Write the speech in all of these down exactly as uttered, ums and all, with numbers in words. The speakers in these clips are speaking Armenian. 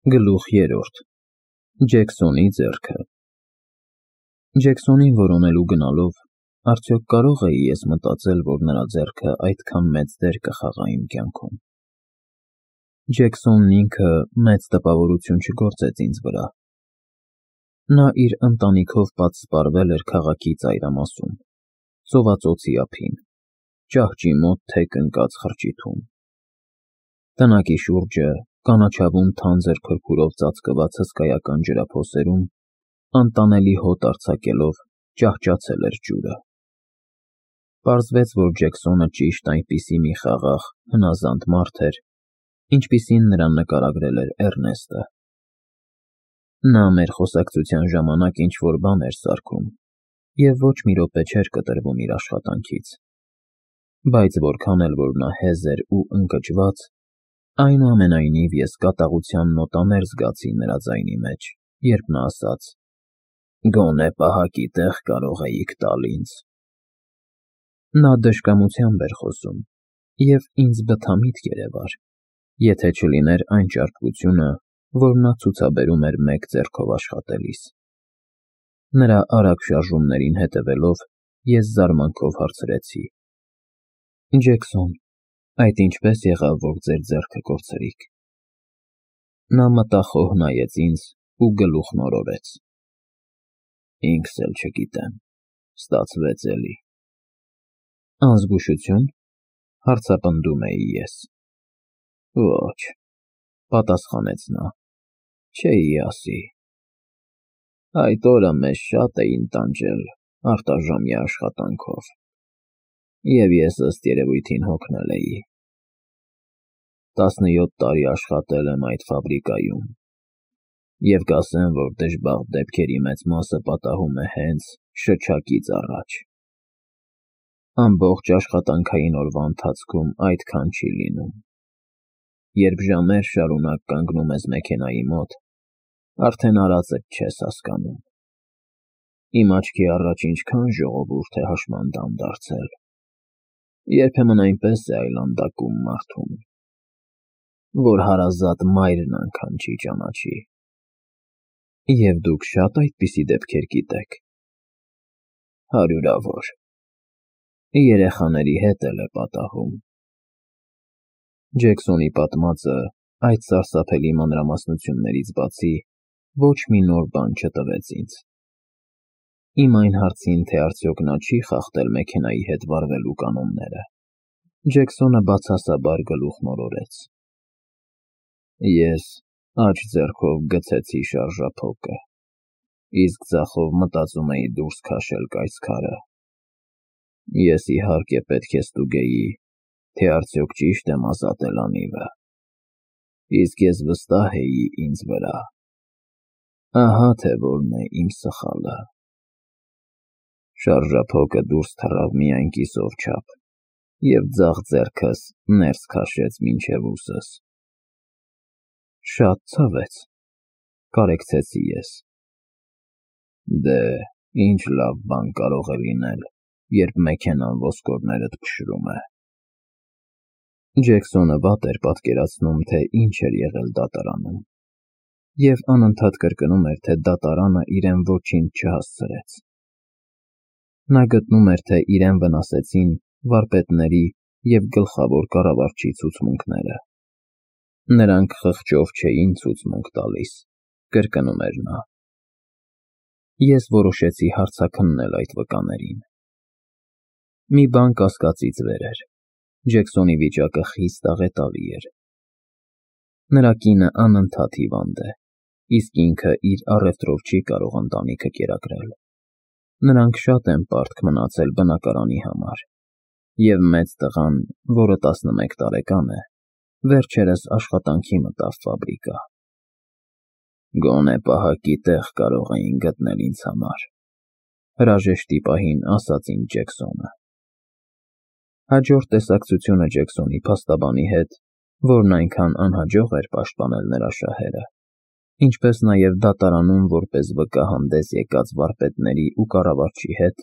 Գլուխ երրորդ Ջեքսոնի ձեռքը Ջեքսոնին որոնելու գնալով արդյոք կարո՞ղ էի ես մտածել, որ նրա ձեռքը այդքան մեծ դեր կխաղա իմ կյանքում։ Ջեքսոնն ինքը մեծ տպավորություն չգործեց ինձ վրա։ Նա իր ընտանիքով պատսպարվել էր քաղաքի ծայրամասում, ծովածոցի ափին, ճահճի մոտ թեք ընկած խրճիթում։ Տնակի շուրջը, կանաչավուն թանձր փրփուրով ծածկված հսկայական ջրափոսերում, անտանելի հոտ արձակելով, ճահճացել էր ջուրը։ Պարզվեց, որ Ջեքսոնը ճիշտ այնպիսի մի խաղաղ, հնազանդ մարդ էր, ինչպիսին նրան նկարագրել էր Էռնեստը։ Նա մեր խոսակցության ժամանակ ինչ-որ բան էր սարքում և ոչ մի րոպե չէր կտրվում իր աշխատանքից, բայց որքան էլ որ նա հեզ էր ու ընկճված, այնուամենայնիվ ես կատաղության նոտաներ զգացի նրա ձայնի մեջ, երբ նա ասաց. «Գոնե պահակի տեղ կարող էիք տալ ինձ»։ Նա դժկամությամբ էր խոսում, և ինձ բթամիտք երևար, եթե չլիներ այն ճարպկությունը, որ նա ցուցաբերում էր մեկ ձեռքով աշխատելիս։ Նրա արագ շարժումներին հետևելով, ես զարմանքով հարցրեցի. «Ջեքսոն, այդ ինչպե՞ս եղավ, որ ձեր ձեռքը կորցրիք»։ Նա մտախոհ նայեց ինձ ու գլուխն օրորեց։ «Ինքս էլ չգիտեմ, ստացվեց էլի»։ «Անզգուշությո՞ւն», հարցապնդում էի ես։ «Ոչ», պատասխանեց նա, «չէի ասի։ Այդ օրը մեզ շատ էին տանջել արտաժամյա աշխատանքով, և ես ըստ երևույթին հոգնել էի։ Տասնյոթ տարի աշխատել եմ այդ ֆաբրիկայում, և կասեմ, որ դժբախտ դեպքերի մեծ մասը պատահում է հենց շչակից առաջ։ Ամբողջ աշխատանքային օրվա ընթացքում այդքան չի լինում։ Երբ ժամեր շարունակ կանգնում ես մեքենայի մոտ, արդեն արածդ չես հասկանում։ Իմ աչքի առաջ ինչքան ժողովուրդ է հաշմանդամ դարձել։ Երբեմն այնպես է այլանդակում մարդուն, որ հարազատ մայրն անգամ չի ճանաչի։ Եվ դուք շա՞տ այդպիսի դեպքեր գիտեք։ Հարյուրավոր։ Երեխաների հետ էլ է պատահում»։ Ջեքսոնի պատմածը այդ սարսափելի մանրամասնություններից բացի ոչ մի նոր բան չտվեց ինձ։ Իմ այն հարցին, թե արդյոք նա չի խախտել մեքենայի հետ վարվելու կանոնները, Ջեքսոնը բացասաբար գլուխն օրորեց։ «Ես աջ ձեռքով գցեցի շարժափոկը, իսկ ձախով մտածում էի դուրս քաշել կայծքարը։ Ես իհարկե պետք է ստուգեի, թե արդյոք ճիշտ եմ ազատել անիվը, իսկ ես վստահ էի ինձ վրա։ Ահա թե որն է իմ սխալը։ Շարժափոկը դուրս թռավ միայն կիսով չափ, և ձախ ձեռքս ներս քաշեց մինչև ուսս»։ «Շատ ցավեց», կարեկցեցի ես։ «Դե, ինչ լավ բան կարող է լինել, երբ մեքենան ոսկորներդ փշրում է»։ Ջեքսոնը վատ էր պատկերացնում, թե ինչ էր եղել դատարանում, և անընդհատ կրկնում էր, թե դատարանը իրեն ոչինչ չհասցրեց։ Նա գտնում էր, թե իրեն վնասեցին վարպետների և գլխավոր կառավարչի ցուցմունքները։ Նրանք խղճով չէին ցուցմունք տալիս, կրկնում էր նա։ Ես որոշեցի հարցաքննել այդ վկաներին։ Մի բան կասկածից վեր էր. Ջեքսոնի վիճակը խիստ աղետալի էր։ Նրա կինը անընդհատ հիվանդ է, իսկ ինքը իր առևտրով չի կարող ընտանիքը կերակրել։ Նրանք շատ են պարտք մնացել բնակարանի համար, և մեծ տղան, որը տասնմեկ տարեկան է, վերջերս աշխատանքի մտավ ֆաբրիկա։ «Գոնե պահակի տեղ կարող էին գտնել ինձ համար», հրաժեշտի պահին ասաց ինձ Ջեքսոնը։ Հաջորդ տեսակցությունը Ջեքսոնի փաստաբանի հետ, որն այնքան անհաջող էր պաշտպանել նրա շահերը, ինչպես նաև դատարանում որպես վկա հանդես եկած վարպետների ու կառավարչի հետ,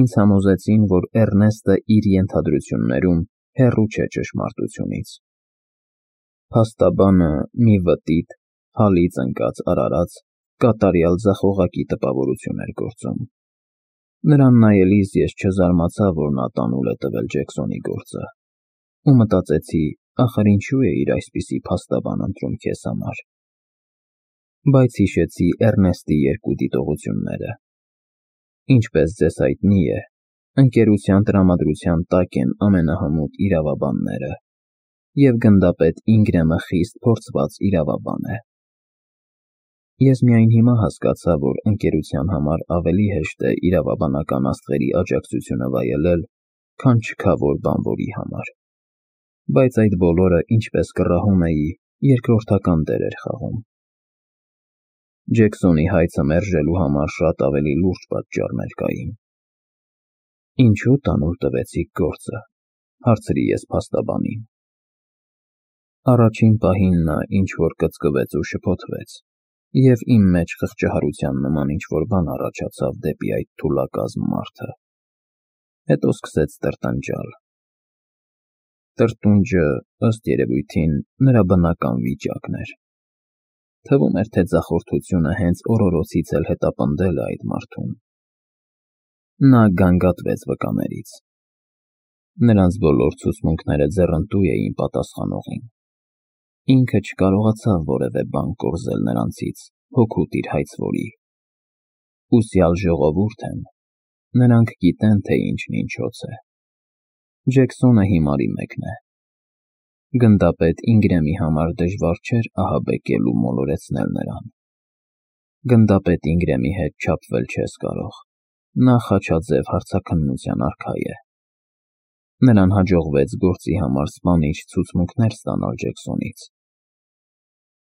ինձ համոզեցին, որ Էռնեստը իր ենթադրություններում հեռու չէ ճշմարտությունից։ Փաստաբանը մի վտիտ, հալից ընկած արարած, կատարյալ ձախողակի տպավորություն էր գործում։ Նրան նայելիս ես չզարմացա, որ նա տանուլ է տվել Ջեքսոնի գործը, ու մտածեցի, ախր ինչու է իր այսպիսի փաստաբան ընտրում քեզ համար։ Բայց հիշեցի Էռնեստի երկու դիտողությունները։ Ինչպես ձեզ հայտնի է, ընկերության տրամադրության տակ են ամենահմուտ իրավաբանները, և գնդապետ Ինգրեմը խիստ փորձված իրավաբան է։ Ես միայն հիմա հասկացա, որ ընկերության համար ավելի հեշտ է իրավաբանական աստղերի աջակցությունը վայելել, քան չքավոր բանվորի համար։ Բայց այդ բոլորը, ինչպես կռահում էի, երկրորդական դեր էր խաղում։ Ջեքսոնի հայցը մերժելու համար շատ ավելի լուրջ պատճառներ կային։ Ինչու տանուլ տվեցիք գործը, հարցրի ես փաստաբանին։ Առաջին պահին նա ինչ-որ կծկվեց ու շփոթվեց, և իմ մեջ խղճահարության նման ինչ-որ բան առաջացավ դեպի այդ թուլակազմ մարդը։ Հետո սկսեց տրտնջալ։ Տրտունջը, ըստ երևույթին, նրա բնական վիճակն էր։ Թվում էր, թե ձախորդությունը հենց օրորոցից էլ հետապնդել է այդ մարդուն։ Նա գանգատվեց վկաներից։ Նրանց բոլոր ցուցմունքները ձեռնտու էին պատասխանողին։ Ինքը չկարողացավ որևէ բան կորզել նրանցից, հօգուտ իր հայցվորի։ Ուսյալ ժողովուրդ են, նրանք գիտեն, թե ինչն ինչոց է։ Ջեքսոնը հիմարի մեկն է։ Գնդապետ Ինգրեմի համար դժվար չէր ահաբեկել ու մոլորեցնել նրան։ Գնդապետ Ինգրեմի հետ չափվել չես կարող, նա խաչաձև հարցաքննության արքա է։ Նրան հաջողվեց գործի համար սպանիչ ցուցմունքներ ստանալ Ջեքսոնից։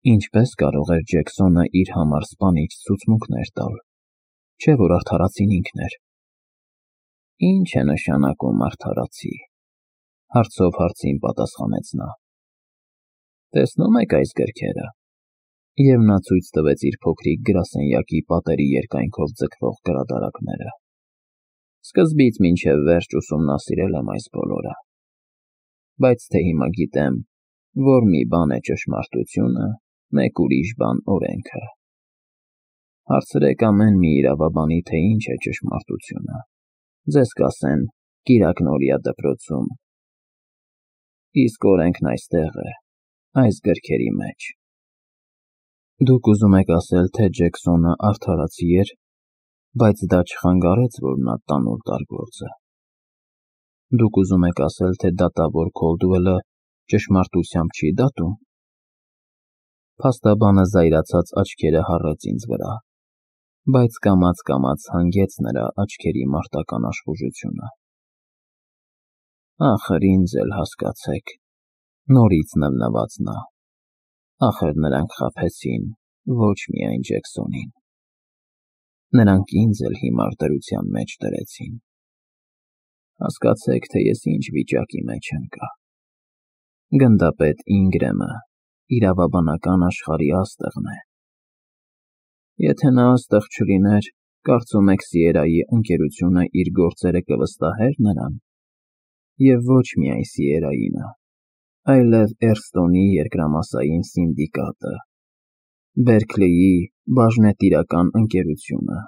Ինչպես կարող էր Ջեքսոնը իր համար սպանիչ ցուցմունքներ տալ, չէ՞ որ արդարացին ինքն էր։ Ինչ է նշանակում արդարացի, հարցով հարցին պատասխանեց նա։ Տեսնում եք այս գրքերը։ Եվ նա ցույց տվեց իր փոքրիկ գրասենյակի պատերի երկայնքով ձգվող գրադարակները։ Սկզբից մինչև վերջ ուսումնասիրել եմ այս բոլորը։ Բայց թե հիմա գիտեմ, որ մի բան է ճշմարտությունը, մեկ ուրիշ բան օրենքը։ Հարցրեք ամեն մի իրավաբանի, թե ինչ է ճշմարտությունը։ Ձեզ կասեն Կիրակնորիա դպրոցում։ Իսկ օրենքն այստեղ է, այս գրքերի մեջ։ Դուք ուզում եք ասել, թե Ջեքսոնը արդարացի էր, բայց դա չխանգարեց, որ նա տանուլ տար գործը։ Դուք ուզում եք ասել, թե դատավոր Քոլդուելը ճշմարտությամբ չի դատում։ Փաստաբանը զայրացած աչքերը հառեց ինձ վրա, բայց կամաց-կամաց հանգեց նրա աչքերի մարտական աշխուժությունը։ Ախր ինձ էլ հասկացեք, նորից նվնվաց նա։ Ախր նրանք խաբեցին ոչ միայն Ջեքսոնին։ Նրանք ինձ էլ հիմար դրության մեջ դրեցին։ Հասկացեք, թե ես ինչ վիճակի մեջ ընկա։ Գնդապետ Ինգրեմը իրավաբանական աշխարհի աստղն է։ Եթե նա աստղ չլիներ, կարծում եք Սիերայի ընկերությունը իր գործերը կվստահեր նրան։ Եվ ոչ միայն Սիերայինը, այլև Էրստոնի երկրամասային սինդիկատը, Բերքլիի բաժնետիրական ընկերությունը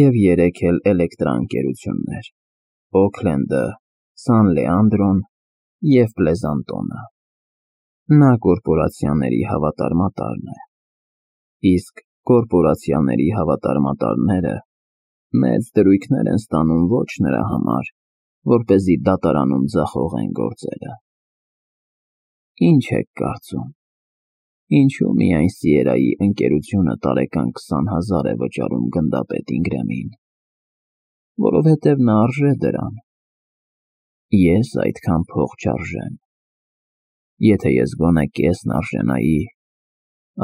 և երեք էլ էլեկտրաընկերություններ՝ Օքլենդը, Սան Լեանդրոն և Պլեզանտոնը։ Նա կորպորացիաների հավատարմատարն է, իսկ կորպորացիաների հավատարմատարները մեծ դրույքներ են ստանում ոչ նրա համար, որպեսզի դատարանում ձախողեն գործերը։ Ինչ եք կարծում, ինչու միայն Սիերայի ընկերությունը տարեկան քսան հազար է վճարում գնդապետ Ինգրեմին, որովհետև նա արժե դրան։ Ես այդքան փող չարժեմ։ Եթե ես գոնե կեսն արժենայի,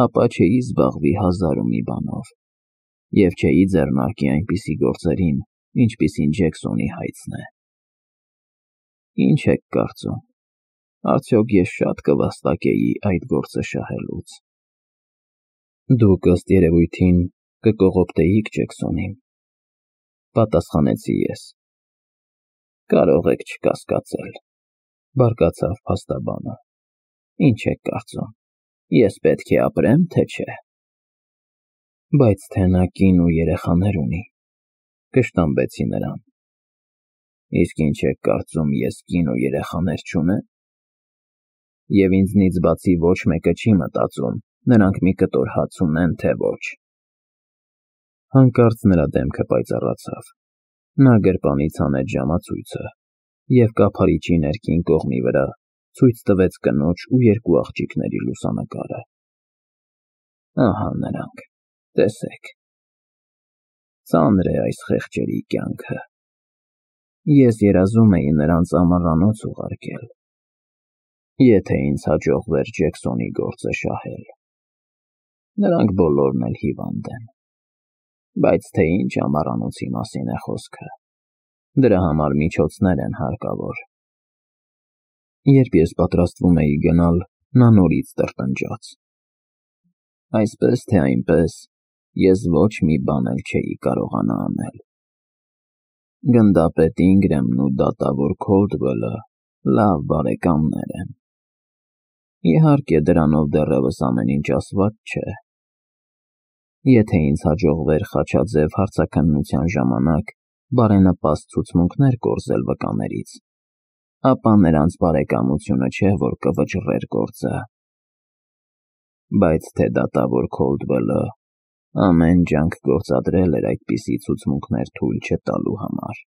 ապա չէի զբաղվի հազար ու մի բանով, և չէի ձեռնարկի այնպիսի գործերին, ինչպիսին Ջեքսոնի հայցն է։ Ինչ եք կարծում, արդյոք ես շատ կվաստակեի այդ գործը շահելուց։ Դուք ըստ երևույթին կկողոպտեիք Ջեքսոնին, պատասխանեցի ես։ Կարող եք չկասկածել, բարկացավ փաստաբանը։ Ինչ եք կարծում, Ես պետք է ապրեմ, թե չէ։ Բայց թե նա կին ու երեխաներ ունի, կշտամբեցի նրան։ Իսկ ինչ եք կարծում, ես կին ու երեխաներ չունեմ։ Եվ ինձնից բացի ոչ մեկը չի մտածում, նրանք մի կտոր հաց ունեն, թե ոչ։ Հանկարծ նրա դեմքը պայծառացավ։ Նա գրպանից հանեց ժամացույցը և կափարիչի ներքին կողմի վրա ցույց տվեց կնոջ ու երկու աղջիկների լուսանկարը։ Ահա նրանք, տեսեք։ Ծանր է այս խեղճերի կյանքը։ Ես երազում էի նրանց ամառանոց ուղարկել, եթե ինձ հաջողվեր Ջեքսոնի գործը շահել։ Նրանք բոլորն էլ հիվանդ են։ Բայց թե ինչ ամառանոցի մասին է խոսքը։ Դրա համար միջոցներ են հարկավոր։ Երբ ես պատրաստվում էի գնալ, նա նորից տրտնջաց։ Այսպես թե այնպես, ես ոչ մի բան էլ չէի կարողանա անել։ Գնդապետ Ինգրեմն ու դատավոր Քոլդվելը լավ բարեկամներ են։ Իհարկե, դրանով դեռևս ամեն ինչ ասված չէ։ Եթե ինձ հաջողվեր խաչաձև հարցաքննության ժամանակ բարենպաստ ցուցմունքներ կորզել վկաներից, ապա նրանց բարեկամությունը չէ, որ կվճռեր գործը։ Բայց թե դատավոր Քոլդվելը ամեն ջանք գործադրել էր այդպիսի ցուցմունքներ թույլ չտալու համար։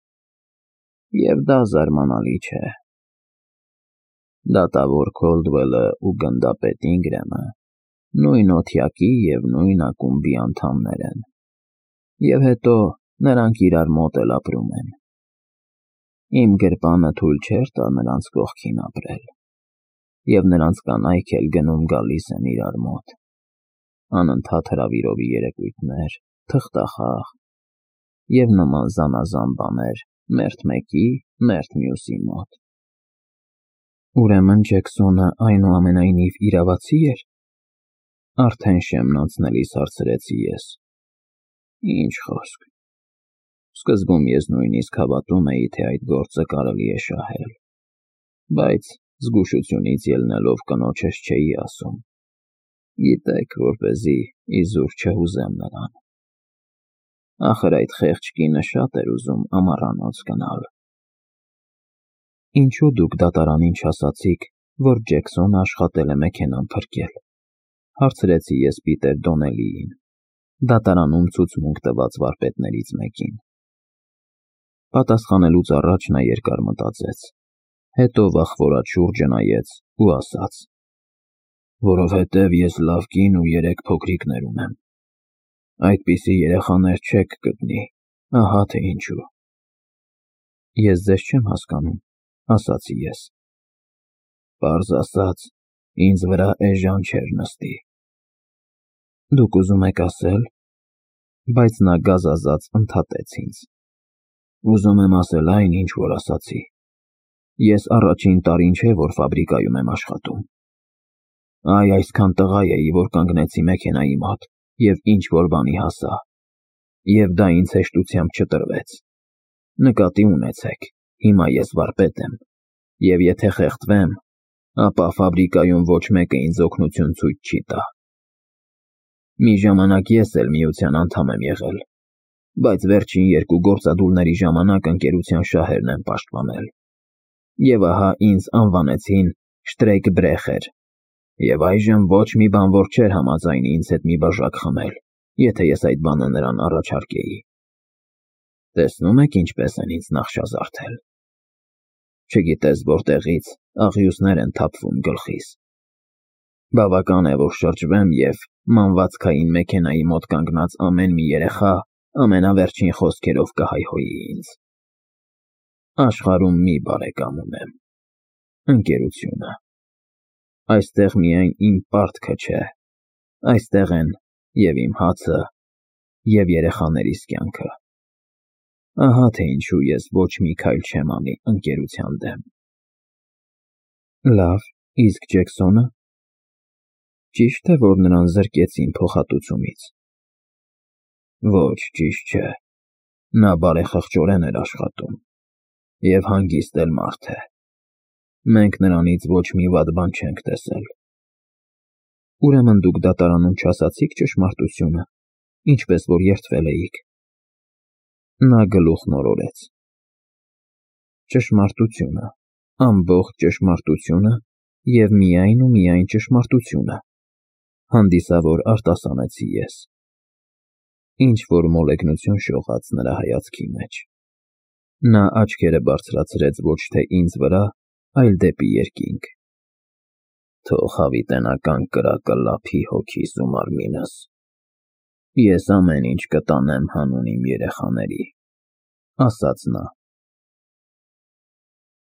Եվ դա զարմանալի չէ։ Դատավոր Քոլդվելը ու գնդապետ Ինգրեմը նույն օթյակի և նույն ակումբի անդամներ են։ Եվ հետո նրանք իրար մոտ էլ ապրում են։ Իմ գրպանը թույլ չէր տա նրանց կողքին ապրել։ Եվ նրանց կանայք էլ գնում գալիս են իրար մոտ։ Անընդհատ հրավիրովի երեկույթներ, թղթախաղ և նման զանազան բաներ մերթ մեկի, մերթ մյուսի մոտ։ Ուրեմն Ջեքսոնը այնուամենայնիվ իրավացի էր։ Արդեն շեմն անցնելիս հարցրեցի ես։ Ինչ խոսք։ Սկզբում ես նույնիսկ հավատում էի, թե այդ գործը կարելի է շահել։ Բայց զգուշությունից ելնելով կնոջս չէի ասում։ Գիտեք, որպեսզի իզուր չհուզեմ նրան։ Ախր այդ խեղճ կինը շատ էր ուզում ամառանոց գնալ։ Ինչու դուք դատարանին չասացիք, որ Ջեքսոնը աշխատել է մեքենան փրկել, հարցրեցի ես Պիտեր Դոնելիին, դատարանում ցուցմունք տված վարպետներից մեկին։ Պատասխանելուց առաջ նա երկար մտածեց, հետո վախվորած շուրջը նայեց ու ասաց. Որովհետև ես լավ կին ու երեք փոքրիկներ ունեմ։ Այդպիսի երեխաներ չեք գտնի, ահա թե ինչու։ Ես ձեզ չեմ հասկանում, ասացի ես։ Պարզ ասած, ինձ վրա էժան չէր նստի։ Դուք ուզում եք ասել, բայց նա գազազած ընդհատեց ինձ։ Ուզում եմ ասել այն, ինչ որ ասացի։ Ես առաջին տարին չէ, որ ֆաբրիկայում եմ աշխատում։ Այ այսքան տղա էի, որ կանգնեցի մեքենայի մոտ և ինչ որ բանի հասա։ Եվ դա ինձ հեշտությամբ չտրվեց։ Նկատի ունեցեք, հիմա ես վարպետ եմ, և եթե խեղդվեմ, ապա ֆաբրիկայում ոչ մեկը ինձ օգնություն ցույց չի տա։ Մի ժամանակ ես էլ միության անդամ եմ եղել, բայց վերջին երկու գործադուլների ժամանակ ընկերության շահերն են պաշտպանել։ Եվ ահա ինձ անվանեցին Շտրեյկբրեխեր, և այժմ ոչ մի բանվոր չէր համաձայնի ինձ հետ մի բաժակ խմել, եթե ես այդ բանը նրան առաջարկեի։ Տեսնում եք ինչպես են ինձ նախշազարդել։ Չգիտես որտեղից աղյուսներ են թափվում գլխիս։ Բավական է, որ շրջվեմ և մանվածքային մեքենայի մոտ կանգնած ամեն մի երեխա ամենավերջին խոսքերով կհայհոյի ինձ։ Աշխարհում մի բարեկամ ունեմ՝ ընկերությունը։ Այստեղ միայն իմ պարտքը չէ, այստեղ են և իմ հացը, և երեխաներիս կյանքը։ Ահա թե ինչու ես ոչ մի քայլ չեմ անի ընկերության դեմ։ Լավ, իսկ Ջեքսոնը։ Ճիշտ է, որ նրան զրկեցին փոխհատուցումից։ Ոչ, ճիշտ չէ։ Նա բարեխղճորեն էր աշխատում և հանգիստ էլ մարդ է։ Մենք նրանից ոչ մի վատ բան չենք տեսել։ Ուրեմն դուք դատարանում չասացիք ճշմարտությունը, ինչպես որ երդվել էիք։ Նա գլուխն օրորեց. Ճշմարտությունը, ամբողջ ճշմարտությունը և միայն ու միայն ճշմարտությունը, հանդիսավոր արտասանեցի ես։ Ինչ-որ մոլեգնություն շողաց նրա հայացքի մեջ։ Նա աչքերը բարձրացրեց ոչ թե ինձ վրա, այլ դեպի երկինք։ Թող հավիտենական կրակը լափի հոգիս ու մարմինս։ Ես ամեն ինչ կտանեմ հանուն իմ երեխաների, ասաց նա։